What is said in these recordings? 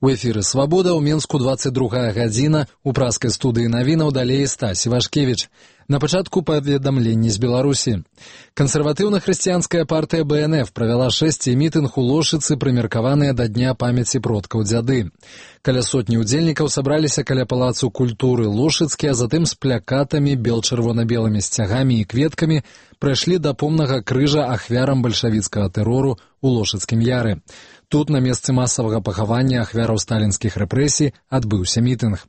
У эфіры «Свабода» ў Менску 22 гадзіна, у праскай студыі навінаў далей Стась Івашкевіч. На пачатку паведамленні з Беларусі. Кансерватыўна-хрысціянская партыя БНФ правяла 6 мітынг у Лошыцы, прымеркаваныя да Дня памяці продкаў дзяды. Каля сотні удзельнікаў сабраліся каля палацу культуры Лошыцкі, а затым з плякатамі, бел-чырвона-белымі сцягамі і кветкамі прайшлі да помнага крыжа ахвярам бальшавіцкага тэрору у Лошыцкім яры. Тут, на месцы масавага пахавання ахвяраў сталінскіх рэпрэсій, адбыўся мітынг.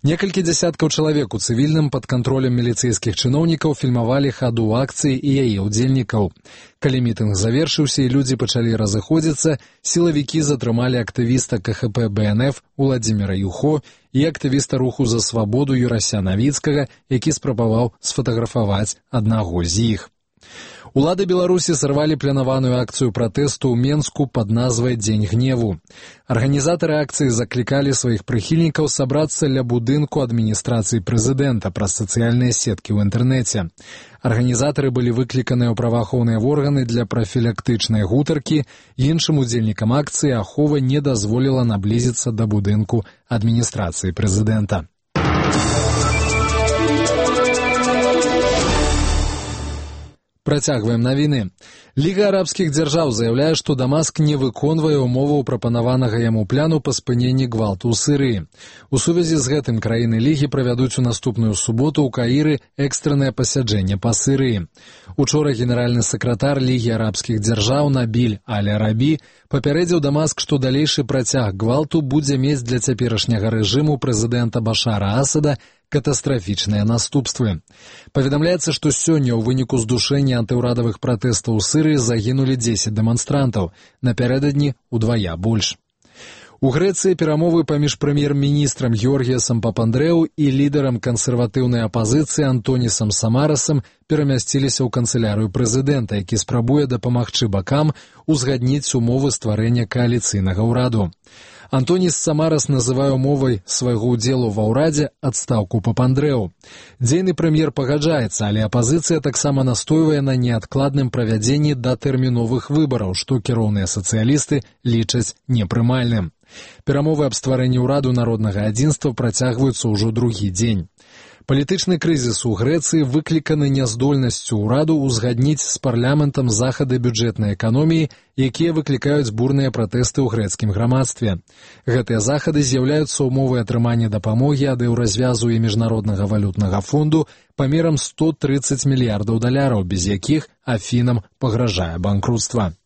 Некалькі дзясяткаў чалавек у цывільным пад кантролем міліцэйскіх чыноўнікаў фільмавалі хаду акцыі і яе ўдзельнікаў. Калі мітынг завершыўся і людзі пачалі разыходзіцца, сілавікі затрымалі актывіста КХП БНФ Уладзіміра Юхо і актывіста руху за свабоду Юрася Навіцкага, які спрабаваў сфатаграфаваць аднаго з іх. Улады Беларусі сарвалі планаваную акцыю пратэсту ў Менску пад назвай «Дзень гневу». Арганізатары акцыі заклікалі сваіх прыхільнікаў сабрацца ля будынку адміністрацыі прэзідэнта праз сацыяльныя сеткі ў інтэрнэце. Арганізатары былі выкліканыя ў праваахоўныя органы для прафілактычнай гутаркі, іншым удзельнікам акцыі ахова не дазволіла наблізіцца да будынку адміністрацыі прэзідэнта. Працягваем навіны. Ліга арабскіх дзяржаў заяўляе, што Дамаск не выконвае ўмоваў прапанаванага яму пляну па спыненні гвалту ў Сірыі. У сувязі з гэтым краіны Лігі правядуць у наступную суботу ў Каіры экстраннае пасяджэнне па Сірыі. Учора генеральны сакратар Лігі арабскіх дзяржаў Набіль Аль-Арабі папярэдзіў Дамаск, што далейшы працяг гвалту будзе мець для цяперашняга рэжыму прэзідэнта Башара Асада катастрафічныя наступствы. Паведамляецца, што сёння ў выніку здушэння антыўрадавых пратэстаў у Сірыі загінулі 10 дэманстрантаў, напярэдадні удвая больш. У Грэцыі перамовы паміж прэм'ер-міністрам Георгіясам Папандрэу і лідарам кансерватыўнай апазіцыі Антонісам Самарасам перамясціліся ў канцылярыю прэзідэнта, які спрабуе дапамагчы бакам узгадніць умовы стварэння кааліцыйнага ўраду. Антоніс Самарас называе умовай свайго ўдзелу ва ўрадзе адстаўку Папандрэу. Дзейны прэм'ер пагаджаецца, але апазіцыя таксама настойвае на неадкладным правядзенні датэрміновых выбараў, што кіроўныя сацыялісты лічаць непрымальным. Перамовы аб стварэнні ўраду народнага адзінства працягваюцца ўжо другі дзень. Палітычны крызіс у Грэцыі выкліканы няздольнасцю ўраду ўзгадніць з парламентам захады бюджэтнай эканоміі, якія выклікаюць бурныя пратэсты ў грэцкім грамадстве. Гэтыя захады з'яўляюцца умовай атрымання дапамогі ад еўразвязу і міжнароднага валютнага фонду памерам 130 мільярдаў даляраў, без якіх Афінам пагражае банкруцтва.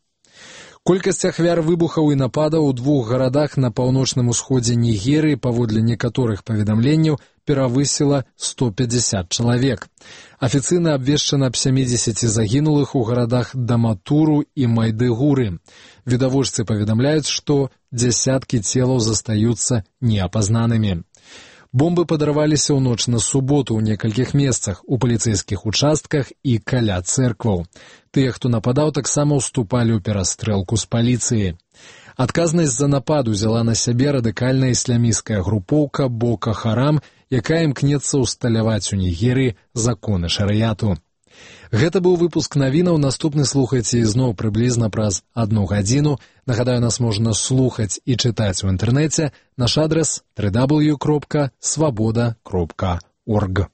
Колькасць ахвяр выбухаў і нападаў у 2 гарадах на паўночным усходзе Нігерыі, паводле некаторых паведамленняў, перавысіла 150 чалавек. Афіцыйна абвешчана аб 70 загінулых у гарадах Даматуру і Майдыгуры. Відавочцы паведамляюць, што дзясяткі целаў застаюцца неапазнанымі. Бомбы падарваліся ў ноч на суботу ў некалькіх месцах, у паліцэйскіх участках і каля цэркваў. Тыя, хто нападаў, таксама ўступалі ў перастрэлку з паліцыяй. Адказнасць за напад узяла на сябе радыкальная ісламісцкая групоўка Бока Харам, якая імкнецца ўсталяваць у Нігерыі законы шарыяту. Гэта быў выпуск навінаў, наступны слухайце ізноў прыблізна праз 1 гадзіну. Нагадаю, нас можна слухаць і чытаць у інтэрнэце. Наш адрас www.swaboda.org.